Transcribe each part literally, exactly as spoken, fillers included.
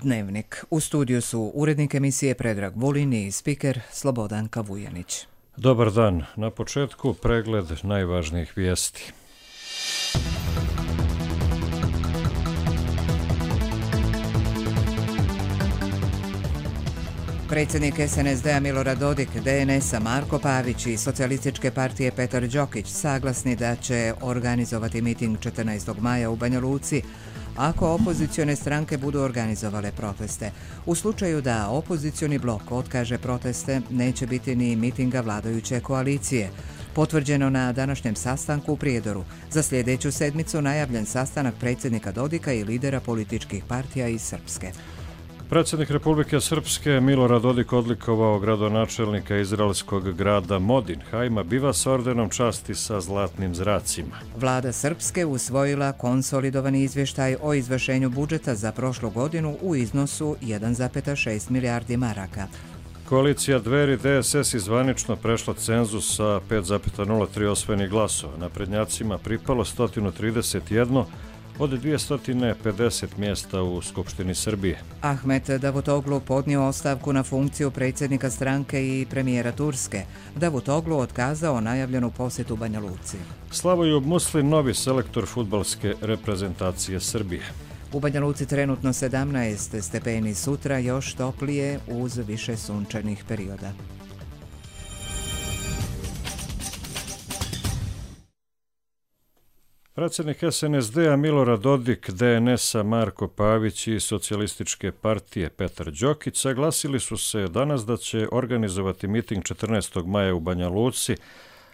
Dnevnik. U studiju su urednik emisije Predrag Vulin i spiker Slobodanka Vujanić. Dobar dan. Na početku pregled najvažnijih vijesti. Predsjednik es en es de a Milorad Dodik, de en es a Marko Pavić i Socijalističke partije Petar Đokić saglasni da će organizovati miting četrnaestog maja u Banja Luci ako opozicione stranke budu organizovale proteste. U slučaju da opozicioni blok otkaže proteste, neće biti ni mitinga vladajuće koalicije. Potvrđeno na današnjem sastanku u Prijedoru. Za sljedeću sedmicu najavljen sastanak predsjednika Dodika i lidera političkih partija iz Srpske. Predsjednik Republike Srpske Milorad Dodik odlikovao gradonačelnika izraelskog grada Modin Biva s ordenom časti sa zlatnim zracima. Vlada Srpske usvojila konsolidovani izvještaj o izvršenju budžeta za prošlu godinu u iznosu jedan zarez šest milijardi maraka. Koalicija Dveri de es es zvanično prešla cenzus sa pet zarez nula tri osvojenih glasova. Naprednjacima pripalo sto trideset jedan od dvjesto pedeset mjesta u Skupštini Srbije. Ahmet Davutoglu podnio ostavku na funkciju predsjednika stranke i premijera Turske. Davutoglu otkazao najavljenu posjetu Banja Luci. Slavojub Muslin, novi selektor fudbalske reprezentacije Srbije. U Banja Luci trenutno sedamnaest stepeni, sutra još toplije uz više sunčanih perioda. Predsjednik es en es de a Milorad Dodik, de en es a Marko Pavić i Socijalističke partije Petar Đokić saglasili su se danas da će organizovati miting četrnaestog maja u Banja Luci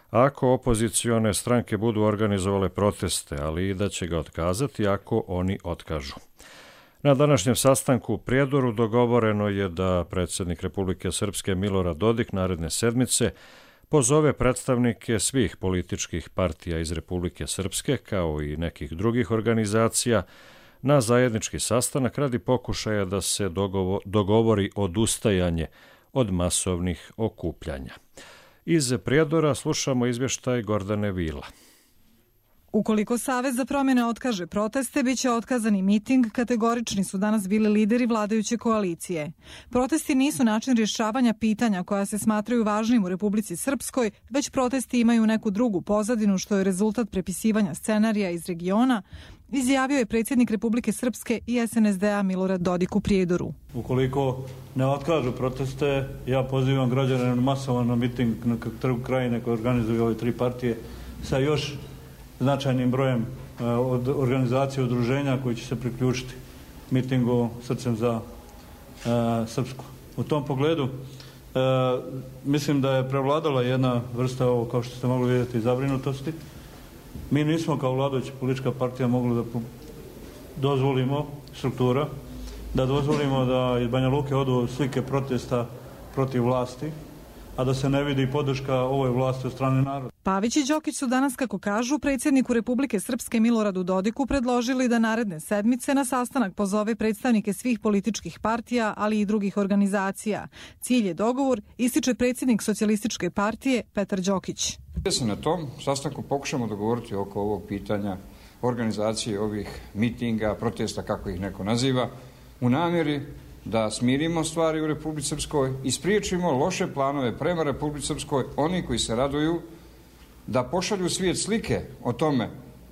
ako opozicione stranke budu organizovale proteste, ali i da će ga otkazati ako oni otkažu. Na današnjem sastanku u Prijedoru dogovoreno je da predsjednik Republike Srpske Milorad Dodik naredne sedmice pozove predstavnike svih političkih partija iz Republike Srpske, kao i nekih drugih organizacija, na zajednički sastanak radi pokušaja da se dogovori odustajanje od masovnih okupljanja. Iz Prijedora slušamo izvještaj Gordane Vila. Ukoliko Savez za promjene otkaže proteste, bit će otkazani miting, kategorični su danas bili lideri vladajuće koalicije. Protesti nisu način rješavanja pitanja koja se smatraju važnim u Republici Srpskoj, već protesti imaju neku drugu pozadinu što je rezultat prepisivanja scenarija iz regiona, izjavio je predsjednik Republike Srpske i es en es de a Milorad Dodik u Prijedoru. Ukoliko ne otkažu proteste, ja pozivam građane masovan na miting na Trgu Krajine koji organizuju ove tri partije sa još značajnim brojem uh, od organizacije udruženja koji će se priključiti mitingu Srcem za uh, Srpsku. U tom pogledu uh, mislim da je prevladala jedna vrsta, ovo, kao što ste mogli vidjeti, zabrinutosti. Mi nismo kao vladajuća politička partija mogli da dozvolimo struktura, da dozvolimo da iz Banja Luke odu slike protesta protiv vlasti, a da se ne vidi podrška ovoj vlasti od strane naroda. Pavić i Đokić su danas, kako kažu, predsjedniku Republike Srpske Miloradu Dodiku predložili da naredne sedmice na sastanak pozove predstavnike svih političkih partija, ali i drugih organizacija. Cilj je dogovor, ističe predsjednik Socijalističke partije Petar Đokić. Da se na tom sastanku pokušamo dogovoriti oko ovog pitanja organizacije ovih mitinga, protesta, kako ih neko naziva, u namjeri da smirimo stvari u Republici Srpskoj i spriječimo loše planove prema Republici Srpskoj, oni koji se raduju da pošalju svijet slike o tome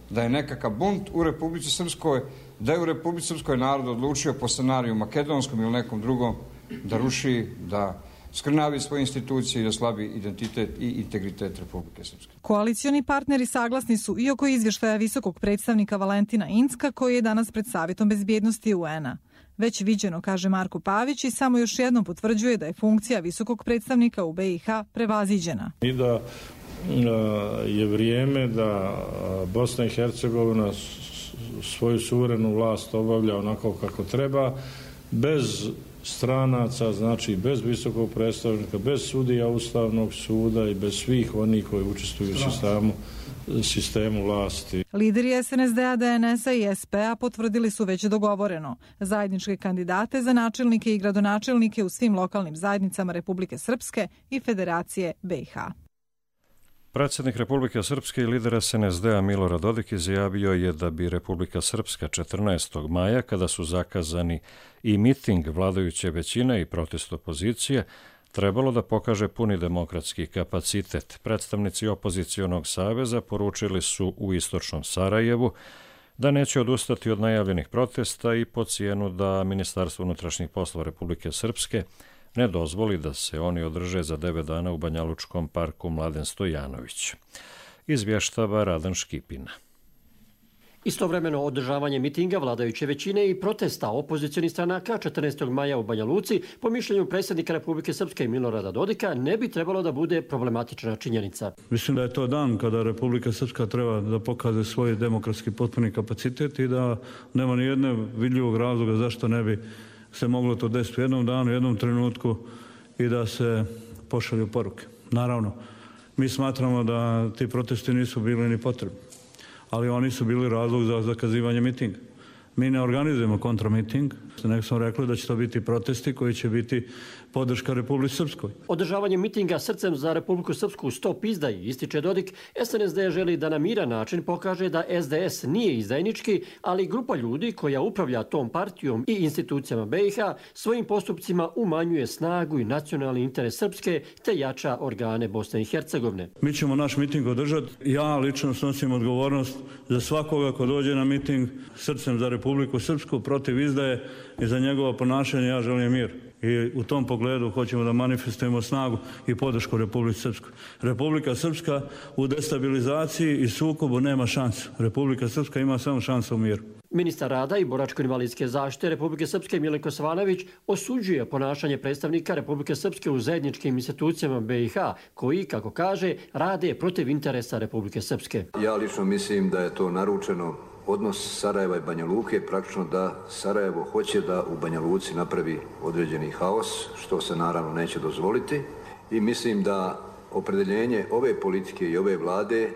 da je nekakav bunt u Republici Srpskoj, da je u Republici Srpskoj narod odlučio po scenariju makedonskom ili nekom drugom da ruši, da skrnavi svoje institucije i da slabi identitet i integritet Republike Srpske. Koalicioni partneri saglasni su i oko izvještaja visokog predstavnika Valentina Incka koji je danas pred Savjetom bezbjednosti u en a. Već viđeno, kaže Marko Pavić, i samo još jednom potvrđuje da je funkcija visokog predstavnika u be i ha prevaziđena. I da je vrijeme da Bosna i Hercegovina svoju suverenu vlast obavlja onako kako treba, bez stranaca, znači bez visokog predstavnika, bez sudija Ustavnog suda i bez svih onih koji učestvuju u sistemu, sistemu vlasti. Lideri es en es de a, de en es a i es pe a potvrdili su već dogovoreno zajedničke kandidate za načelnike i gradonačelnike u svim lokalnim zajednicama Republike Srpske i Federacije be i ha. Predsjednik Republike Srpske i lider S N S D-a Milorad Dodik izjavio je da bi Republika Srpska četrnaestog maja, kada su zakazani i miting vladajuće većine i protest opozicije, trebalo da pokaže puni demokratski kapacitet. Predstavnici opozicionog saveza poručili su u istočnom Sarajevu da neće odustati od najavljenih protesta i po cijenu da Ministarstvo unutrašnjih poslova Republike Srpske ne dozvoli da se oni održe za devet dana u Banjalučkom parku Mladen Stojanović. Izvještava Radan Škipina. Istovremeno održavanje mitinga vladajuće većine i protesta opozicionih stranaka četrnaestog maja u Banja Luci, po mišljenju predsjednika Republike Srpske Milorada Dodika, ne bi trebalo da bude problematična činjenica. Mislim da je to dan kada Republika Srpska treba da pokaže svoj demokratski potpuni kapacitet i da nema ni jednog vidljivog razloga zašto ne bi se moglo to desiti u jednom danu, u jednom trenutku i da se pošalju poruke. Naravno, mi smatramo da ti protesti nisu bili ni potrebni, ali oni su bili razlog za zakazivanje mitinga. Mi ne organizujemo kontramiting, nego smo rekli da će to biti protesti koji će biti podrška Republici Srpskoj. Održavanje mitinga srcem za Republiku Srpsku Stop izdaji, ističe Dodik, S N S D želi da na miran način pokaže da S D S nije izdajnički, ali grupa ljudi koja upravlja tom partijom i institucijama B i H svojim postupcima umanjuje snagu i nacionalni interes Srpske te jača organe Bosne i Hercegovine. Mi ćemo naš miting održati. Ja lično snosim odgovornost za svakoga ko dođe na miting srcem za Republiku Srpsku protiv izdaje i za njegovo ponašanje ja želim mir. I u tom pogledu hoćemo da manifestujemo snagu i podršku Republike Srpskoj. Republika Srpska u destabilizaciji i sukobu nema šansu. Republika Srpska ima samo šansu u miru. Ministar rada i boračko-invalidske zaštite Republike Srpske Milenko Svanović osuđuje ponašanje predstavnika Republike Srpske u zajedničkim institucijama B i H, koji, kako kaže, rade protiv interesa Republike Srpske. Ja lično mislim da je to naručeno odnos Sarajeva i Banja Luke, praktično da Sarajevo hoće da u Banja Luci napravi određeni haos, što se naravno neće dozvoliti. I mislim da opredeljenje ove politike i ove vlade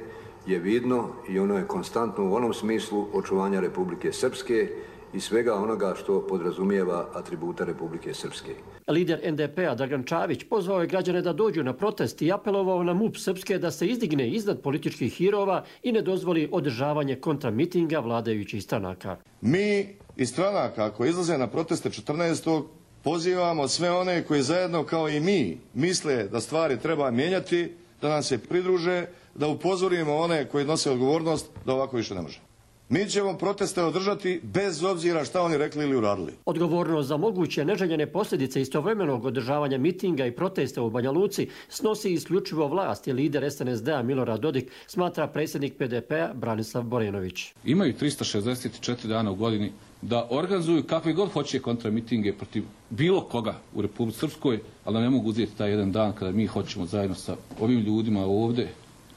je vidno i ono je konstantno u onom smislu očuvanja Republike Srpske i svega onoga što podrazumijeva atributa Republike Srpske. Lider N D P-a Dragan Čavić pozvao je građane da dođu na protest i apelovao na M U P Srpske da se izdigne iznad političkih hirova i ne dozvoli održavanje kontramitinga vladajućih stranaka. Mi iz stranaka koji izlaze na proteste četrnaestog pozivamo sve one koji zajedno kao i mi misle da stvari treba mijenjati, da nam se pridruže, da upozorimo one koji nose odgovornost da ovako više ne može. Mi ćemo proteste održati bez obzira šta oni rekli ili uradili. Odgovornost za moguće neželjene posljedice istovremenog održavanja mitinga i protesta u Banja Luci snosi isključivo vlast i lider S N S D-a Milorad Dodik, smatra predsjednik P D P-a Branislav Borenović. Imaju trista šezdeset četiri dana u godini da organizuju kakve god hoće kontramitinge protiv bilo koga u Republici Srpskoj, ali ne mogu uzeti taj jedan dan kada mi hoćemo zajedno sa ovim ljudima ovdje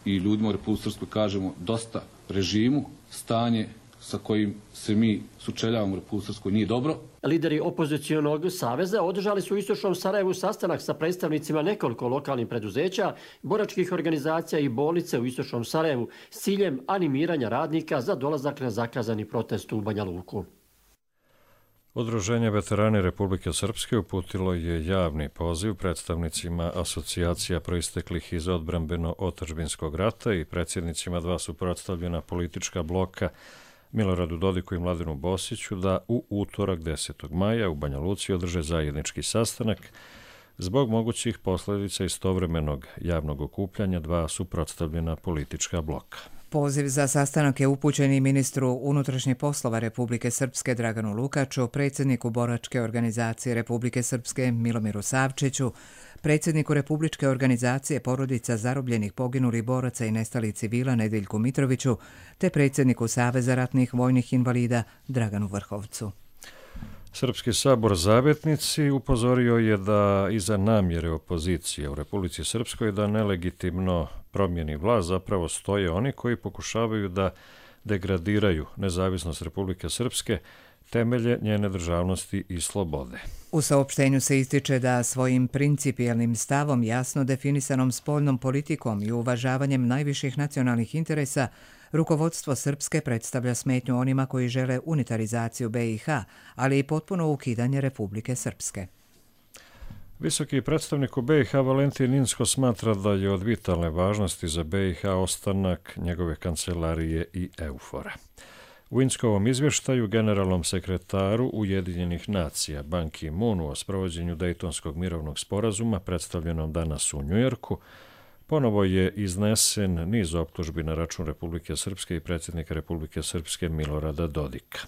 i ljudima u Republici Srpskoj kažemo dosta režimu, stanje sa kojim se mi sučeljavamo u Republici Srpskoj nije dobro. Lideri opozicionog saveza održali su u istočnom Sarajevu sastanak sa predstavnicima nekoliko lokalnih preduzeća, boračkih organizacija i bolnice u istočnom Sarajevu s ciljem animiranja radnika za dolazak na zakazani protest u Banja Luku. Udruženje veterani Republike Srpske uputilo je javni poziv predstavnicima asocijacija proisteklih iz odbrambeno-otadžbinskog rata i predsjednicima dva suprotstavljena politička bloka Miloradu Dodiku i Mladenu Bosiću da u utorak desetog maja u Banja Luci održe zajednički sastanak zbog mogućih posljedica istovremenog javnog okupljanja dva suprotstavljena politička bloka. Poziv za sastanak je upućen i ministru unutrašnjih poslova Republike Srpske Draganu Lukaču, predsjedniku boračke organizacije Republike Srpske Milomiru Savčiću, predsjedniku Republičke organizacije porodica zarobljenih, poginulih boraca i nestalih civila Nedeljku Mitroviću, te predsjedniku Saveza ratnih vojnih invalida Draganu Vrhovcu. Srpski sabor Zavetnici upozorio je da iza namjere opozicije u Republici Srpskoj da nelegitimno promijeni vlast zapravo stoje oni koji pokušavaju da degradiraju nezavisnost Republike Srpske, temelje njene državnosti i slobode. U saopštenju se ističe da svojim principijelnim stavom, jasno definisanom spoljnom politikom i uvažavanjem najviših nacionalnih interesa, rukovodstvo Srpske predstavlja smetnju onima koji žele unitarizaciju B i H, ali i potpuno ukidanje Republike Srpske. Visoki predstavnik u B i H Valentin Inzko smatra da je od vitalne važnosti za B i H ostanak njegove kancelarije i EUFOR-a. U Inzkovom izvještaju generalnom sekretaru Ujedinjenih nacija Ban Ki-moonu o sprovođenju Dejtonskog mirovnog sporazuma predstavljenom danas u Njujorku ponovo je iznesen niz optužbi na račun Republike Srpske i predsjednika Republike Srpske Milorada Dodika.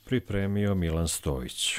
Pripremio Milan Stojić.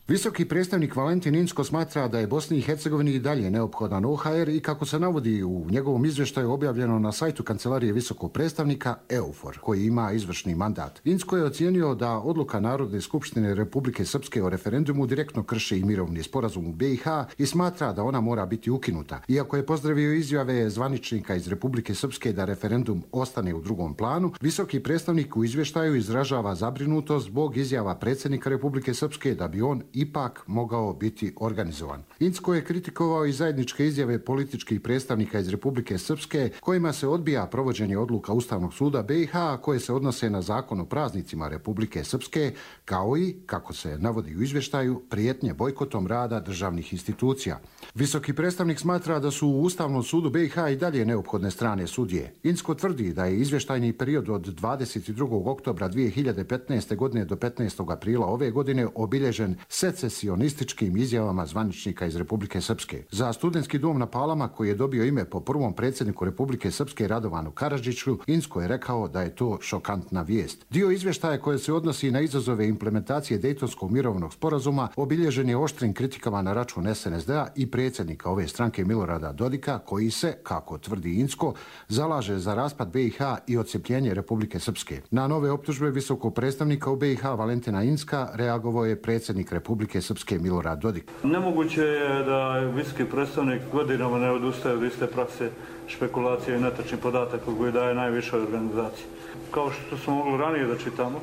Visoki predstavnik Valentin Inzko smatra da je Bosni i Hercegovini i dalje neophodan O H R i kako se navodi u njegovom izvještaju objavljeno na sajtu kancelarije visokog predstavnika EUFOR, koji ima izvršni mandat. Inzko je ocijenio da odluka Narodne skupštine Republike Srpske o referendumu direktno krši i mirovni sporazum u B i H i smatra da ona mora biti ukinuta. Iako je pozdravio izjave zvaničnika iz Republike Srpske da referendum ostane u drugom planu, visoki predstavnik u izvještaju izražava zabrinutost zbog izjava predsjednika Republike Srpske da bi on ipak mogao biti organizovan. Inzko je kritikovao i zajedničke izjave političkih predstavnika iz Republike Srpske kojima se odbija provođenje odluka Ustavnog suda B i H koje se odnose na zakon o praznicima Republike Srpske, kao i, kako se navodi u izvještaju, prijetnje bojkotom rada državnih institucija. Visoki predstavnik smatra da su u Ustavnom sudu B i H i dalje neophodne strane sudije. Inzko tvrdi da je izvještajni period od dvadeset drugog oktobra dvije hiljade petnaeste. godine do petnaestog aprila ove godine obilježen secesionističkim izjavama zvaničnika iz Republike Srpske. Za studentski dom na Palama, koji je dobio ime po prvom predsjedniku Republike Srpske Radovanu Karadžiću, Inzko je rekao da je to šokantna vijest. Dio izvještaja koje se odnosi na izazove implementacije Dejtonskog mirovnog sporazuma obilježen je oštrim kritikama na račun S N S D-a i predsjednika ove stranke Milorada Dodika, koji se, kako tvrdi Inzko, zalaže za raspad B i H i odcepljenje Republike Srpske. Na nove optužbe visokog predstavnika u B i H Valentina Inzka reagovao je predsjednik Republike Srpske Milorad Dodik. Nemoguće je da visoki predstavnik godinama ne odustaje od iste prakse špekulacije i netačnih podataka koji daje najvišoj organizaciji. Kao što smo mogli ranije da čitamo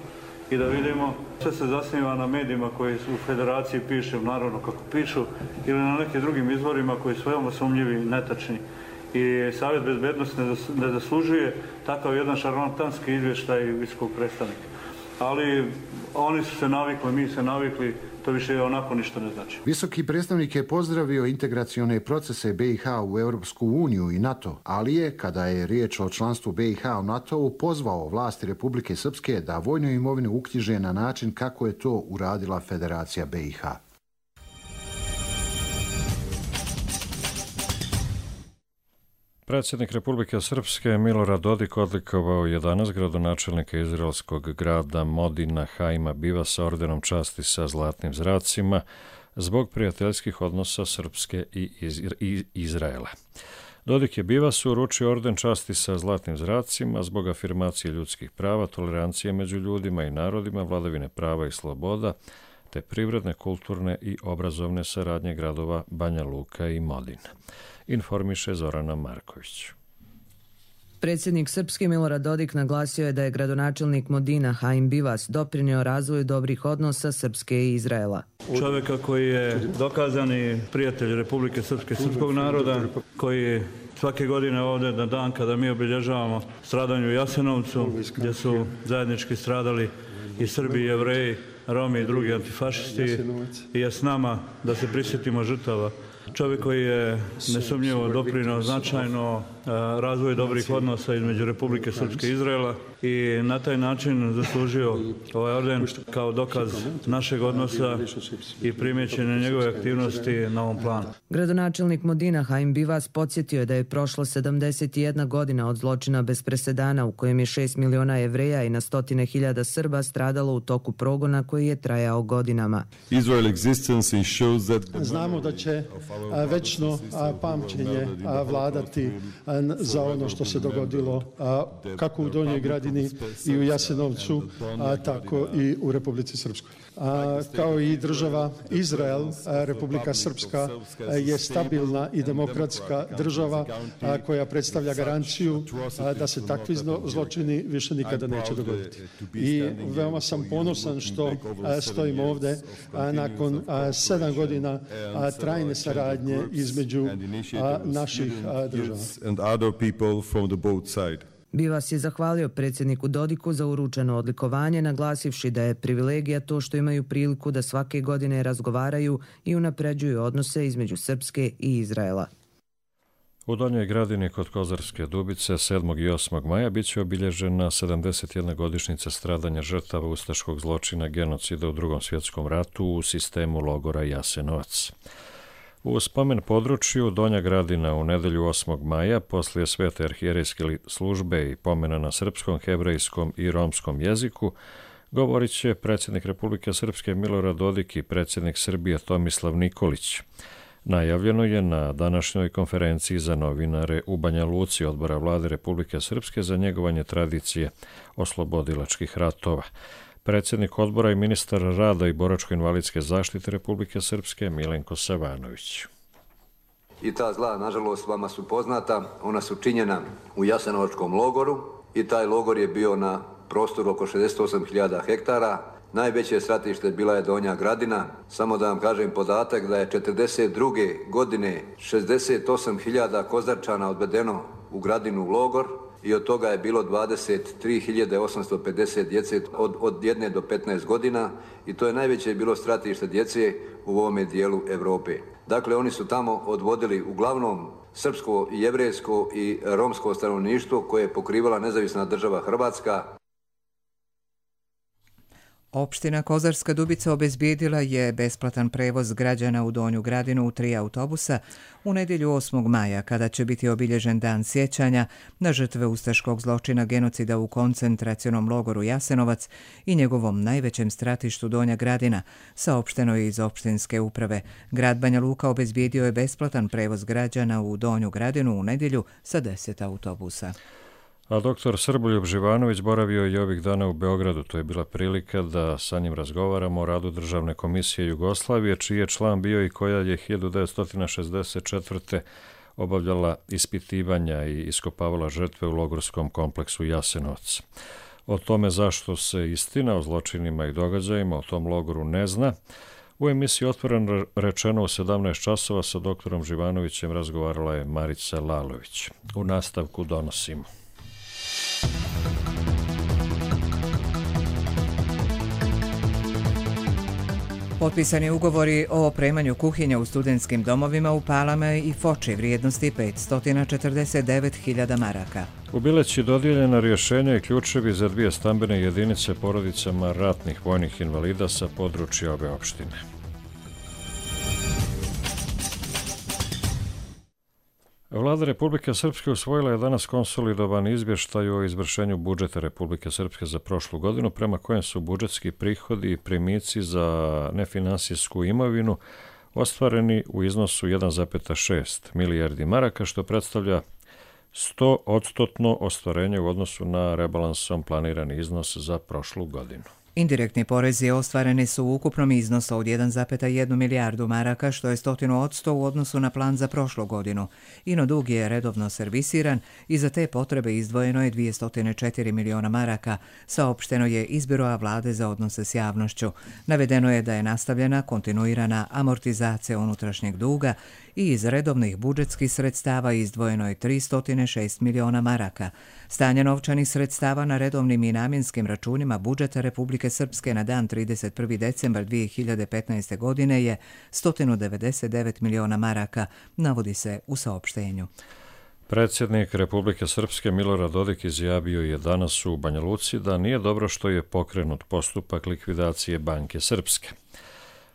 i da vidimo, sve se zasniva na medijima koji su u federaciji pišu, naravno kako pišu, ili na nekim drugim izvorima koji su veoma sumnjivi i netačni. I Savjet bezbednosti ne zaslužuje takav jedan šarlatanski izvještaj visokog predstavnika. Ali oni su se navikli, mi se navikli, to više onako ništa ne znači. Visoki predstavnik je pozdravio integracione procese B i H u Europsku uniju i NATO, ali je, kada je riječ o članstvu B i H u NATO-u, pozvao vlasti Republike Srpske da vojnu imovinu uknjiže na način kako je to uradila Federacija B i H. Predsjednik Republike Srpske Milorad Dodik odlikovao je danas gradonačelnika izraelskog grada Modina Haima Bivasa ordenom časti sa zlatnim zracima zbog prijateljskih odnosa Srpske i, iz, i Izraela. Dodik je Bivasu uručio orden časti sa zlatnim zracima zbog afirmacije ljudskih prava, tolerancije među ljudima i narodima, vladavine prava i sloboda, te privredne, kulturne i obrazovne saradnje gradova Banja Luka i Modin. Informiše Zorana Marković. Predsjednik Srpski Milorad Dodik naglasio je da je gradonačelnik Modina Haim Bivas doprinio razvoju dobrih odnosa Srpske i Izraela. Čovjeka koji je dokazani prijatelj Republike Srpske, srpskog naroda, koji svake godine ovdje na dan kada mi obilježavamo stradanje u Jasenovcu, gdje su zajednički stradali i Srbi i Jevreji, Romi i drugi antifašisti, i je s nama da se prisjetimo žrtava. Čovjek koji je nesumnjivo doprinio značajno razvoju dobrih odnosa između Republike Srpske i Izraela i na taj način zaslužio ovaj orden kao dokaz našeg odnosa i primjećenje njegove aktivnosti na ovom planu. Gradonačelnik Modina Haim Bivas podsjetio je da je prošlo sedamdeset jedna godina od zločina bez presedana u kojem je šest miliona Jevreja i na stotine hiljada Srba stradalo u toku progona koji je trajao godinama. Znamo da će večno pamćenje vladati za ono što se dogodilo kako u Donjoj Gradini i u Jasenovcu, tako i u Republici Srpskoj. Kao i država Izrael, Republika Srpska je stabilna i demokratska država koja predstavlja garanciju da se takvi zločini više nikada neće dogoditi. I veoma sam ponosan što stojim ovde nakon sedam godina trajne saradnje između naših država. Bivas je zahvalio predsjedniku Dodiku za uručeno odlikovanje, naglasivši da je privilegija to što imaju priliku da svake godine razgovaraju i unapređuju odnose između Srpske i Izraela. U Donjoj Gradini kod Kozarske Dubice sedmog i osmog maja biće obilježena sedamdeset jedna godišnjica stradanja žrtava ustaškog zločina genocida u Drugom svjetskom ratu u sistemu logora Jasenovac. U spomen području Donja Gradina u nedelju osmog maja poslije svete arhijerejske službe i pomena na srpskom, hebrejskom i romskom jeziku govorit će predsjednik Republike Srpske Milorad Dodik i predsjednik Srbije Tomislav Nikolić. Najavljeno je na današnjoj konferenciji za novinare u Banja Luci Odbora Vlade Republike Srpske za njegovanje tradicije oslobodilačkih ratova. Predsjednik odbora i ministar rada i boračko-invalidske zaštite Republike Srpske Milenko Savanović. I ta zla, nažalost, vama su poznata. Ona su činjena u Jasenovačkom logoru i taj logor je bio na prostoru oko šezdeset osam hiljada hektara. Najveće stratište bila je Donja Gradina. Samo da vam kažem podatak da je četrdeset druge godine šezdeset osam hiljada Kozarčana odvedeno u Gradinu u logor i od toga je bilo dvadeset tri hiljade osamsto pedeset djece od, od jedne do petnaest godina i to je najveće bilo stratište djece u ovome dijelu Europe. Dakle, oni su tamo odvodili uglavnom srpsko, jevrejsko i romsko stanovništvo koje je pokrivala nezavisna država Hrvatska. Opština Kozarska Dubica obezbijedila je besplatan prevoz građana u Donju Gradinu u tri autobusa u nedjelju osmog maja, kada će biti obilježen dan sjećanja na žrtve ustaškog zločina genocida u koncentracionom logoru Jasenovac i njegovom najvećem stratištu Donja Gradina, saopšteno je iz opštinske uprave. Grad Banja Luka obezbijedio je besplatan prevoz građana u Donju Gradinu u nedjelju sa deset autobusa. A doktor Srboljub Živanović boravio je ovih dana u Beogradu. To je bila prilika da sa njim razgovaramo o radu Državne komisije Jugoslavije, čiji je član bio i koja je hiljadu devetsto šezdeset četvrte. obavljala ispitivanja i iskopavala žrtve u logorskom kompleksu Jasenovac. O tome zašto se istina o zločinima i događajima o tom logoru ne zna, u emisiji Otvoreno rečeno u sedamnaest časova sa doktorom Živanovićem razgovarala je Marica Lalović. U nastavku donosimo. Potpisani ugovori o opremanju kuhinja u studentskim domovima u Palama i Foči vrijednosti petsto četrdeset devet hiljada maraka. U Bileći dodijeljena rješenja i ključevi za dvije stambene jedinice porodicama ratnih vojnih invalida sa područja ove opštine. Vlada Republike Srpske usvojila je danas konsolidovan izvještaj o izvršenju budžeta Republike Srpske za prošlu godinu, prema kojem su budžetski prihodi i primici za nefinansijsku imovinu ostvareni u iznosu jedan zarez šest milijardi maraka, što predstavlja sto odstotno ostvarenje u odnosu na rebalansom planirani iznos za prošlu godinu. Indirektni porezi ostvareni su u ukupnom iznosu od jedan zarez jedan milijardu maraka, što je stotinu odsto u odnosu na plan za prošlu godinu. Ino dug je redovno servisiran i za te potrebe izdvojeno je dvjesto četiri miliona maraka, saopšteno je iz Biroa vlade za odnose s javnošću. Navedeno je da je nastavljena kontinuirana amortizacija unutrašnjeg duga i iz redovnih budžetskih sredstava izdvojeno je tristo šest miliona maraka. Stanje novčanih sredstava na redovnim i namjenskim računima budžeta Republike Srpske na dan trideset prvi decembar dvije hiljade petnaeste. godine je sto devedeset devet miliona maraka, navodi se u saopštenju. Predsjednik Republike Srpske Milorad Dodik izjavio je danas u Banja Luci da nije dobro što je pokrenut postupak likvidacije Banke Srpske.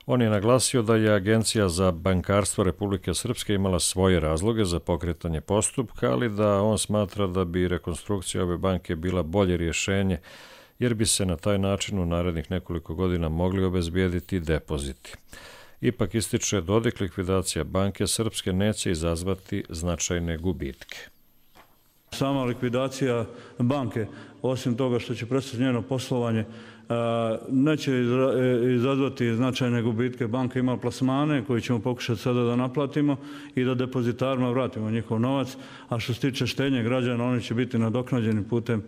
On je naglasio da je Agencija za bankarstvo Republike Srpske imala svoje razloge za pokretanje postupka, ali da on smatra da bi rekonstrukcija ove banke bila bolje rješenje, jer bi se na taj način u narednih nekoliko godina mogli obezbijediti depoziti. Ipak, ističe Dodik, likvidacija Banke Srpske neće izazvati značajne gubitke. Sama likvidacija banke, osim toga što će prestati njeno poslovanje, neće izazvati značajne gubitke. Banka ima plasmane koje ćemo pokušati sada da naplatimo i da depozitarima vratimo njihov novac, a što se tiče štednje građana, oni će biti nadoknađeni putem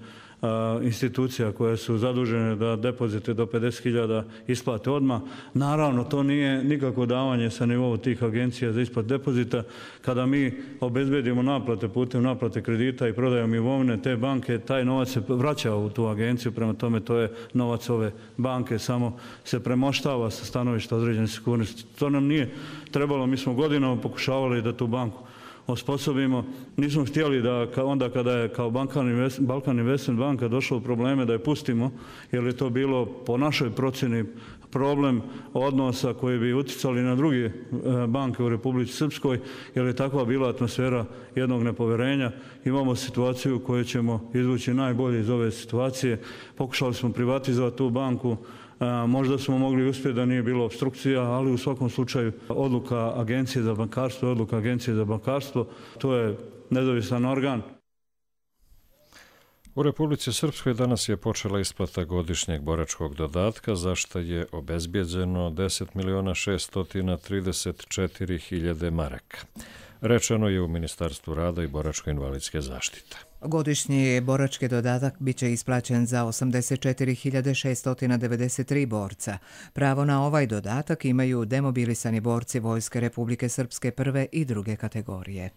institucija koje su zadužene da depozite do pedeset hiljada isplate odmah. Naravno, to nije nikako davanje sa nivou tih agencija za isplatu depozita. Kada mi obezbedimo naplate putem naplate kredita i prodajom imovine, te banke, taj novac se vraća u tu agenciju, prema tome to je novac ove banke, samo se premoštava sa stanovišta određene sigurnosti. To nam nije trebalo, mi smo godinama pokušavali da tu banku osposobimo. Nismo htjeli da onda kada je kao Balkan Investment banka došla u probleme da je pustimo, jer je to bilo po našoj procjeni problem odnosa koji bi uticali na druge banke u Republici Srpskoj, jer je takva bila atmosfera jednog nepoverenja. Imamo situaciju u kojoj ćemo izvući najbolje iz ove situacije. Pokušali smo privatizovati tu banku. Možda smo mogli uspjeti da nije bilo opstrukcija, ali u svakom slučaju odluka Agencije za bankarstvo je odluka Agencije za bankarstvo. To je nezavisan organ. U Republici Srpskoj danas je počela isplata godišnjeg boračkog dodatka, za što je obezbijeđeno deset miliona šesto trideset četiri hiljade maraka. Rečeno je u Ministarstvu rada i boračko-invalidske zaštite. Godišnji borački dodatak biće isplaćen za osamdeset četiri hiljade šesto devedeset tri borca. Pravo na ovaj dodatak imaju demobilisani borci Vojske Republike Srpske prve i druge kategorije.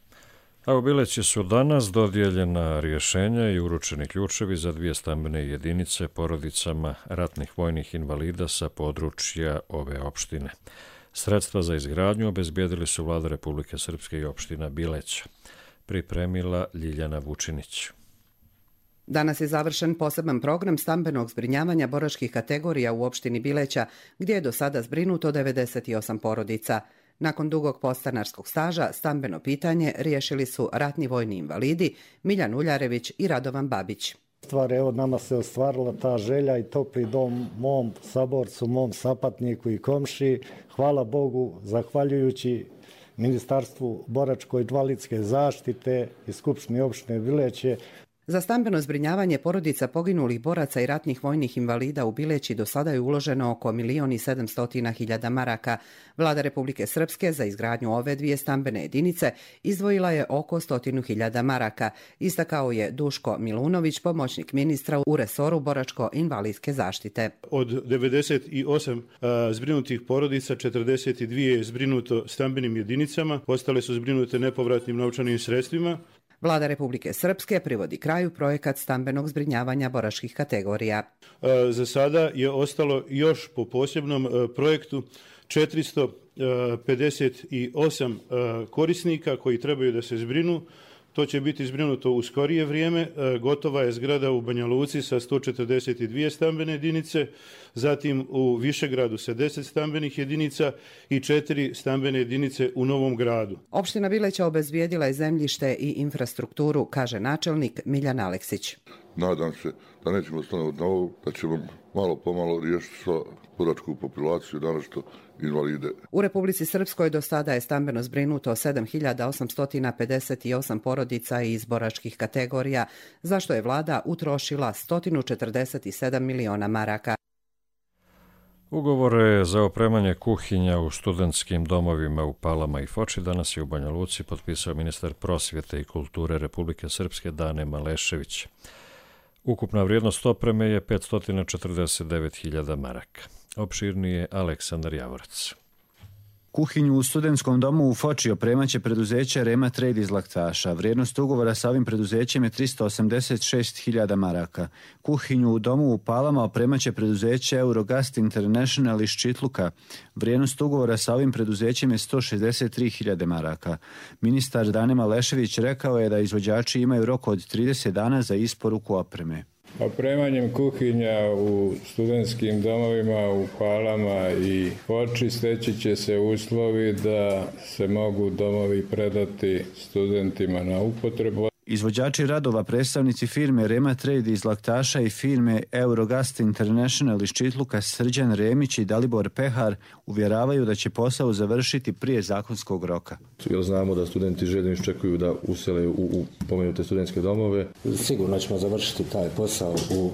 A u Bileći su danas dodijeljena rješenja i uručeni ključevi za dvije stambene jedinice porodicama ratnih vojnih invalida sa područja ove opštine. Sredstva za izgradnju obezbijedili su Vlada Republike Srpske i opština Bileća. Pripremila Ljiljana Vučinić. Danas je završen poseban program stambenog zbrinjavanja boračkih kategorija u opštini Bileća, gdje je do sada zbrinuto devedeset osam porodica. Nakon dugog podstanarskog staža, stambeno pitanje riješili su ratni vojni invalidi Miljan Uljarević i Radovan Babić. Stvar, evo, nama se ostvarila ta želja i topli dom mom saborcu, mom sapatniku i komši. Hvala Bogu, zahvaljujući Ministarstvu boračko-invalidske zaštite i Skupštini opštine Bileće. Za stambeno zbrinjavanje porodica poginulih boraca i ratnih vojnih invalida u Bileći do sada je uloženo oko milion i sedamstotina hiljada maraka. Vlada Republike Srpske za izgradnju ove dvije stambene jedinice izdvojila je oko stotinu hiljada maraka. Istakao je Duško Milunović, pomoćnik ministra u resoru boračko-invalidske zaštite. Od devedeset osam a, zbrinutih porodica, četrdeset dvije je zbrinuto stambenim jedinicama, ostale su zbrinute nepovratnim novčanim sredstvima. Vlada Republike Srpske privodi kraju projekat stambenog zbrinjavanja boračkih kategorija. Za sada je ostalo još po posebnom projektu četiristo pedeset osam korisnika koji trebaju da se zbrinu. To će biti zbrinuto u skorije vrijeme. Gotova je zgrada u Banja Luci sa sto četrdeset dvije stambene jedinice, zatim u Višegradu sa deset stambenih jedinica i četiri stambene jedinice u Novom Gradu. Opština Bileća obezbijedila je zemljište i infrastrukturu, kaže načelnik Miljan Aleksić. Nadam se da nećemo stanovati na ovo, da ćemo malo pomalo riješiti sva boračku populaciju, danas što invalide. U Republici Srpskoj do sada je stambeno zbrinuto sedam hiljada osamsto pedeset osam porodica iz boračkih kategorija, za što je vlada utrošila sto četrdeset sedam miliona maraka. Ugovore za opremanje kuhinja u studentskim domovima u Palama i Foči danas je u Banja Luci potpisao ministar prosvjete i kulture Republike Srpske Dane Malešević. Ukupna vrijednost opreme je petsto četrdeset devet hiljada maraka. Opširnije Aleksandar Javorac. Kuhinju u studentskom domu u Foči opremaće preduzeće Rema Trade iz Laktaša. Vrijednost ugovora sa ovim preduzećem je tristo osamdeset šest hiljada maraka. Kuhinju u domu u Palama opremaće preduzeće Eurogast International iz Čitluka. Vrijednost ugovora sa ovim preduzećem je sto šezdeset tri hiljade maraka. Ministar Dane Malešević rekao je da izvođači imaju rok od trideset dana za isporuku opreme. Opremanjem kuhinja u studentskim domovima u Palama i Foči steći će se uslovi da se mogu domovi predati studentima na upotrebu. Izvođači radova, predstavnici firme Rema Trade iz Laktaša i firme Eurogast International iz Čitluka Srđan Remić i Dalibor Pehar uvjeravaju da će posao završiti prije zakonskog roka. Jer znamo da studenti željno iščekuju da usele u, u pomenute studentske domove. Sigurno ćemo završiti taj posao u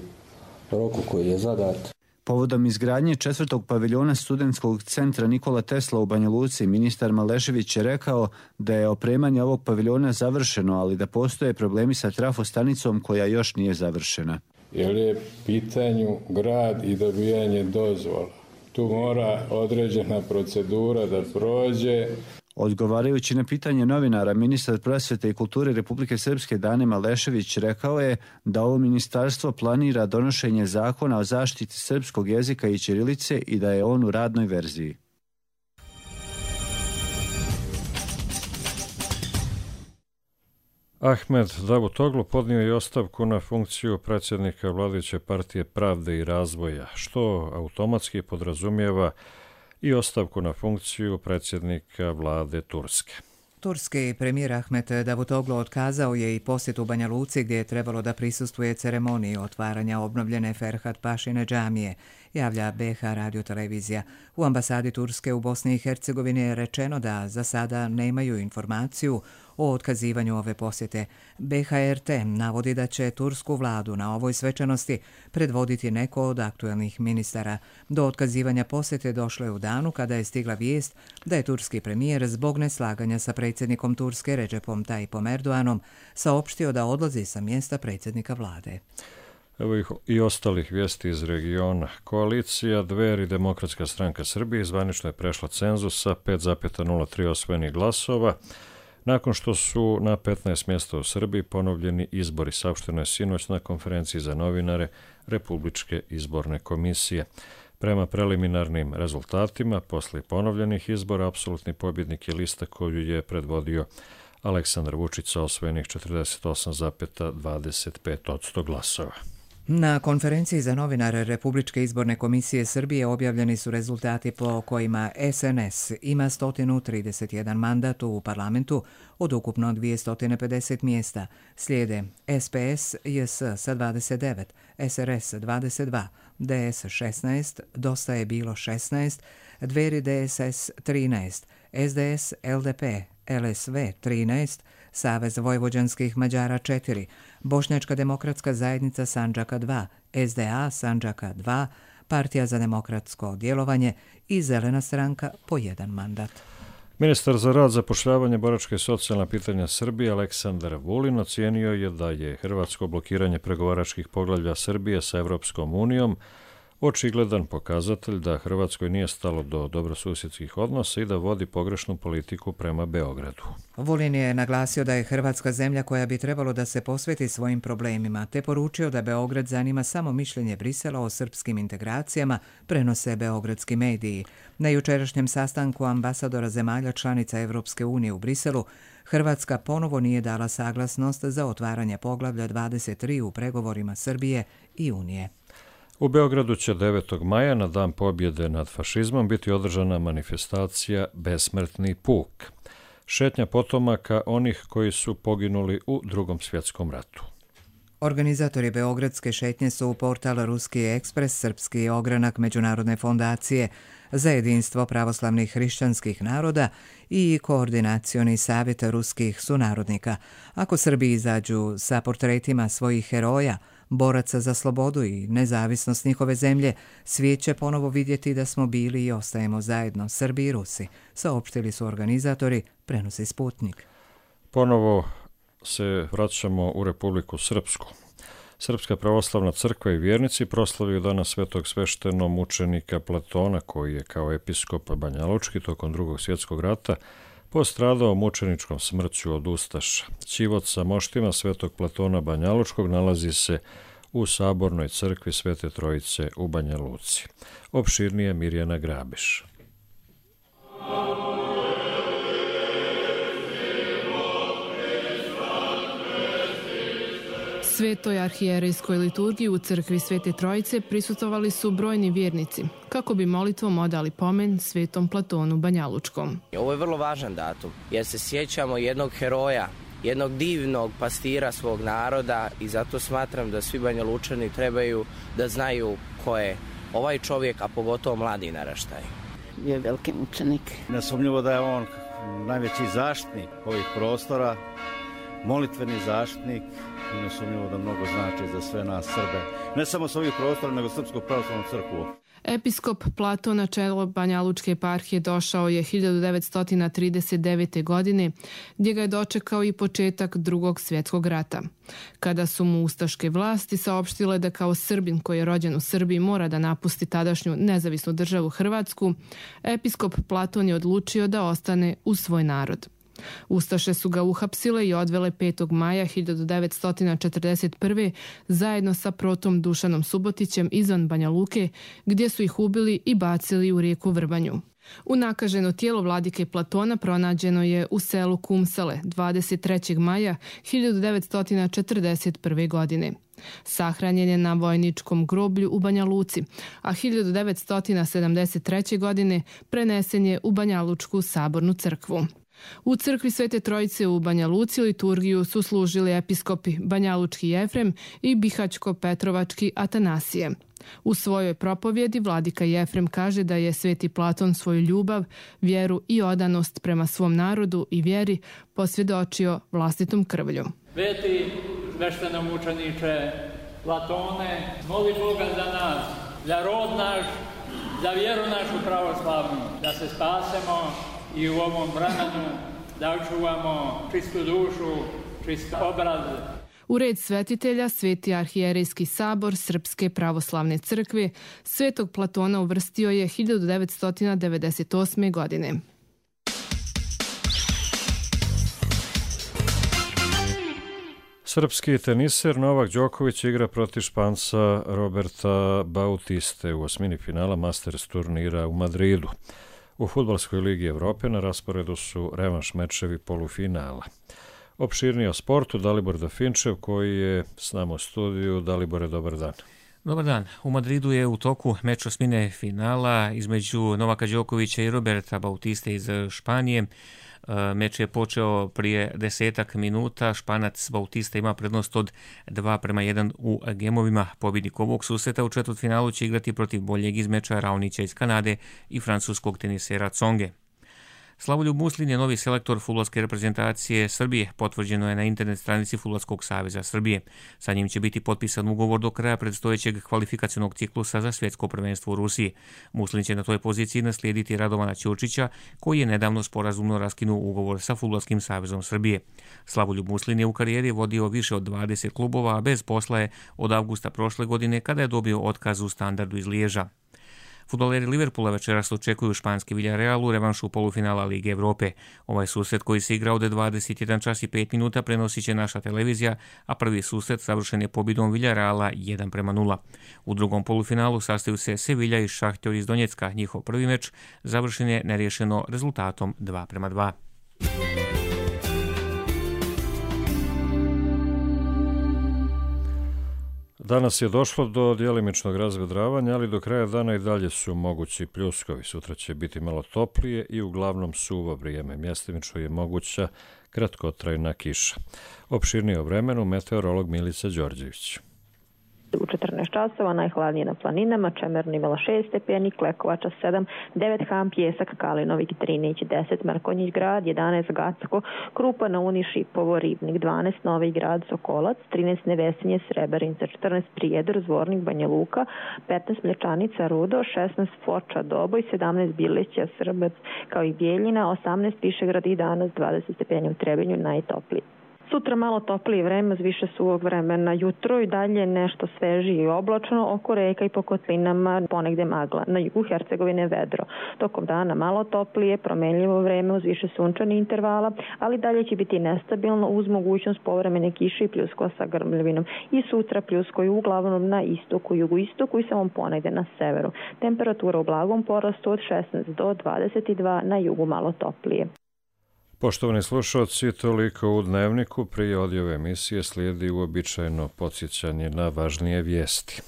roku koji je zadat. Povodom izgradnje četvrtog paviljona studentskog centra Nikola Tesla u Banja Luci, ministar Malešević je rekao da je opremanje ovog paviljona završeno, ali da postoje problemi sa trafostanicom koja još nije završena. jer je pitanju grad i dobijanje dozvola. Tu mora određena procedura da prođe. Odgovarajući na pitanje novinara, ministar prosvete i kulture Republike Srpske Dane Malešević rekao je da ovo ministarstvo planira donošenje zakona o zaštiti srpskog jezika i ćirilice i da je on u radnoj verziji. Ahmed Davutoglu podnio je ostavku na funkciju predsjednika vladajuće partije Pravde i razvoja, što automatski podrazumijeva i ostavku na funkciju predsjednika vlade Turske. Turski premijer Ahmed Davutoglu otkazao je i posjet u Banja Luci gdje je trebalo da prisustvuje ceremoniji otvaranja obnovljene Ferhat Pašine džamije, javlja B H radiotelevizija. U ambasadi Turske u Bosni i Hercegovini je rečeno da za sada nemaju informaciju o otkazivanju ove posjete. B H R T navodi da će tursku vladu na ovoj svečanosti predvoditi neko od aktuelnih ministara. Do otkazivanja posjete došlo je u danu kada je stigla vijest da je turski premijer zbog neslaganja sa predsjednikom Turske Recepom Tayyipom Erdoganom saopštio da odlazi sa mjesta predsjednika vlade. Evo ih i ostalih vijesti iz regiona. Koalicija Dver i Demokratska stranka Srbije zvanično je prešla cenzus sa pet zarez nula tri osvojenih glasova. Nakon što su na petnaest mjesta u Srbiji ponovljeni izbori, saopšteno je sinoć na konferenciji za novinare Republičke izborne komisije. Prema preliminarnim rezultatima, posle ponovljenih izbora, apsolutni pobjednik je lista koju je predvodio Aleksandar Vučić sa osvojenih četrdeset osam zarez dvadeset pet posto glasova. Na konferenciji za novinare Republičke izborne komisije Srbije objavljeni su rezultati po kojima S N S ima sto trideset jedan mandat u parlamentu od ukupno dvjesto pedeset mjesta. Slijede S P S J S sa dvadeset devet, S R S dvadeset dva, D S šesnaest, Dosta je bilo šesnaest, Dveri D S S trinaest, S D S L D P L S V trinaest, Savez vojvođanskih Mađara četiri, Bošnjačka demokratska zajednica Sandžaka dva, S D A Sandžaka dva, Partija za demokratsko djelovanje i Zelena stranka po jedan mandat. Ministar za rad, zapošljavanje, boračka i socijalna pitanja Srbije Aleksandar Vulin ocijenio je da je hrvatsko blokiranje pregovaračkih poglavlja Srbije sa Evropskom unijom očigledan pokazatelj da Hrvatskoj nije stalo do dobrosusjedskih odnosa i da vodi pogrešnu politiku prema Beogradu. Vulin je naglasio da je Hrvatska zemlja koja bi trebalo da se posveti svojim problemima, te poručio da Beograd zanima samo mišljenje Brisela o srpskim integracijama, prenose beogradski mediji. Na jučerašnjem sastanku ambasadora zemalja članica Evropske unije u Briselu, Hrvatska ponovo nije dala saglasnost za otvaranje poglavlja dvadeset tri u pregovorima Srbije i Unije. U Beogradu će devetog maja na dan pobjede nad fašizmom biti održana manifestacija Besmrtni puk, šetnja potomaka onih koji su poginuli u Drugom svjetskom ratu. Organizatori beogradske šetnje su u portal Ruski ekspres, srpski ogranak Međunarodne fondacije za jedinstvo pravoslavnih hrišćanskih naroda i Koordinacioni savjet ruskih sunarodnika. Ako Srbi izađu sa portretima svojih heroja, boraca za slobodu i nezavisnost njihove zemlje, svijet će ponovo vidjeti da smo bili i ostajemo zajedno, Srbi i Rusi, saopštili su organizatori, prenosi Sputnik. Ponovo se vraćamo u Republiku Srpsku. Srpska pravoslavna crkva i vjernici proslavio danas svetog sveštenomučenika Platona, koji je kao episkop banjalučki tokom Drugog svjetskog rata postradao mučeničkom smrću od ustaša. Ćivot sa moštima svetog Platona Banjalučkog nalazi se u Sabornoj crkvi Svete Trojice u Banja Luci. Opširnije Mirjana Grabiš. Svetoj arhijerejskoj liturgiji u crkvi Svete Trojice prisutovali su brojni vjernici, kako bi molitvom odali pomen svetom Platonu Banjalučkom. Ovo je vrlo važan datum, jer se sjećamo jednog heroja, jednog divnog pastira svog naroda i zato smatram da svi Banjalučani trebaju da znaju ko je ovaj čovjek, a pogotovo mladi naraštaj. Je veliki mučenik. Nesumnjivo da je on najveći zaštitnik ovih prostora, molitveni zaštitnik i nesumnjivo da mnogo znači za sve nas Srbe. Ne samo s ovih prostora, nego Srpsku pravoslavnu crkvu. Episkop Platon na čelo Banjalučke eparhije došao je hiljadu devetsto trideset devete. godine, gdje ga je dočekao i početak Drugog svjetskog rata. Kada su mu ustaške vlasti saopštile da kao Srbin koji je rođen u Srbiji mora da napusti tadašnju nezavisnu državu Hrvatsku, episkop Platon je odlučio da ostane uz svoj narod. Ustaše su ga uhapsile i odvele petog maja hiljadu devetsto četrdeset prve. zajedno sa protom Dušanom Subotićem izvan Banja Luke, gdje su ih ubili i bacili u rijeku Vrbanju. Unakaženo tijelo vladike Platona pronađeno je u selu Kumsale dvadeset trećeg maja hiljadu devetsto četrdeset prve. godine. Sahranjen je na vojničkom groblju u Banja Luci, a hiljadu devetsto sedamdeset treće. godine prenesen je u Banjalučku sabornu crkvu. U crkvi Svete Trojice u Banja Luci liturgiju su služili episkopi Banjalučki Jefrem i Bihaćko-Petrovački Atanasije. U svojoj propovjedi vladika Jefrem kaže da je Sveti Platon svoju ljubav, vjeru i odanost prema svom narodu i vjeri posvjedočio vlastitom krvlju. Sveti sveštenomučeniče Platone, moli Boga za nas, za rod naš, za vjeru našu pravoslavnu, da se spasemo i u ovom vremenu da očuvamo čistu dušu, čist obraz. U red svetitelja Sveti arhijerejski sabor Srpske pravoslavne crkve Svetog Platona uvrstio je hiljadu devetsto devedeset osme. godine. Srpski teniser Novak Đoković igra protiv Španca Roberta Bautiste u osmini finala Masters turnira u Madridu. U Fudbalskoj ligi Evrope na rasporedu su revanš mečevi polufinala. Opširnije o sportu Dalibor Dafinčev koji je s nama u studiju. Dalibore, dobar dan. Dobar dan. U Madridu je u toku meč osmine finala između Novaka Đokovića i Roberta Bautiste iz Španije. Meč je počeo prije desetak minuta. Španac Bautista ima prednost od dva prema jedan u gemovima. Pobjednik ovog susreta u četvrtfinalu će igrati protiv boljeg iz meča Raonića iz Kanade i francuskog tenisera Tsonge. Slavoljub Muslin je novi selektor fudbalske reprezentacije Srbije, potvrđeno je na internet stranici Fudbalskog saveza Srbije. Sa njim će biti potpisan ugovor do kraja predstojećeg kvalifikacionog ciklusa za svjetsko prvenstvo u Rusiji. Muslin će na toj poziciji naslijediti Radovana Ćurčića, koji je nedavno sporazumno raskinuo ugovor sa Fudbalskim savezom Srbije. Slavoljub Muslin je u karijeri vodio više od dvadeset klubova, a bez posla je od avgusta prošle godine kada je dobio otkaz u Standardu iz Liježa. Fudbaleri Liverpoola večeras očekuju španski Villarreal u revanšu polufinala Lige Evrope. Ovaj susret koji se igra od dvadeset jedan čas i pet minuta prenosit će naša televizija, a prvi susret završen je pobjedom Villarreala jedan prema nula. U drugom polufinalu sastaju se Sevilla i Šahtjor iz Donjecka. Njihov prvi meč završen je neriješeno rezultatom dva prema dva. Danas je došlo do djelimičnog razvedravanja, ali do kraja dana i dalje su mogući pljuskovi. Sutra će biti malo toplije i uglavnom suvo vrijeme. Mjestimično je moguća kratkotrajna kiša. Opširnije o vremenu meteorolog Milica Đorđević. U četrnaest časova najhladnije na planinama, Čemerno imala šest stepeni, Klekovača sedam, devet Ham, Pjesak, Kalinovik, Trinić, deset Mrkonjić grad, jedanaest Gacko, Krupa na Uni, Šipovo, Ribnik, dvanaest Novi grad, Sokolac, trinaest Nevesinje, Srebrenica, četrnaest Prijedor, Zvornik, Banja Luka, petnaest Mlječanica, Rudo, šesnaest Foča, Doboj, sedamnaest Bileća, Srbac, kao i Bijeljina, osamnaest Višegrad i danas dvadeset stepeni u Trebinju, najtopliji. Sutra malo toplije vreme, uz više suvog vremena jutro i dalje nešto svežije i oblačno, oko reka i po kotlinama ponegde magla. Na jugu Hercegovine vedro. Tokom dana malo toplije, promenljivo vreme uz više sunčanih intervala, ali dalje će biti nestabilno uz mogućnost povremene kiše i pljuskova sa grmljavinom. I sutra pljuskoju uglavnom na istoku, jugoistoku i samo ponegde na severu. Temperatura u blagom porastu od šesnaest do dvadeset dva, na jugu malo toplije. Poštovani slušalci, toliko u Dnevniku. Prije odjave emisije slijedi uobičajeno podsjećanje na važnije vijesti.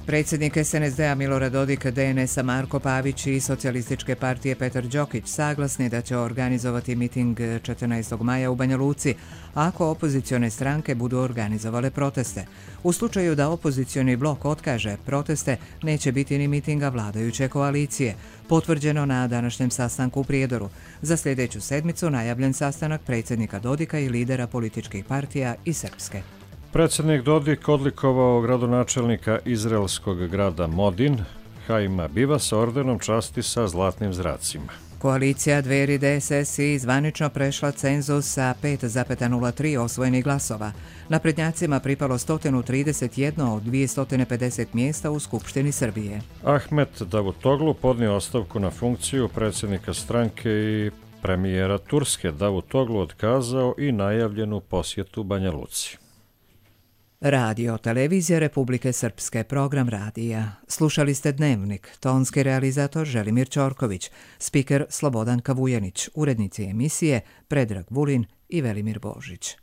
Predsjednik es en es de a Milorad Dodik, de en es a Marko Pavić i Socijalističke partije Petar Đokić saglasni da će organizovati miting četrnaestog maja u Banja Luci ako opozicione stranke budu organizovale proteste. U slučaju da opozicioni blok otkaže proteste, neće biti ni mitinga vladajuće koalicije. Potvrđeno na današnjem sastanku u Prijedoru. Za sljedeću sedmicu najavljen sastanak predsjednika Dodika i lidera političkih partija iz Srpske. Predsjednik Dodik odlikovao gradonačelnika izraelskog grada Modin, Haima Bivasa, ordenom časti sa zlatnim zracima. Koalicija Dveri de es es i zvanično prešla cenzus sa pet zarez nula tri osvojenih glasova. Naprednjacima pripalo sto trideset jedan od dvjesto pedeset mjesta u Skupštini Srbije. Ahmet Davutoglu podnio ostavku na funkciju predsjednika stranke i premijera Turske. Davutoglu otkazao i najavljenu posjetu Banja Luci. Radio Televizija Republike Srpske, program radija. Slušali ste Dnevnik, tonski realizator Želimir Ćorković, spiker Slobodan Kavujanić, urednici emisije Predrag Vulin i Velimir Božić.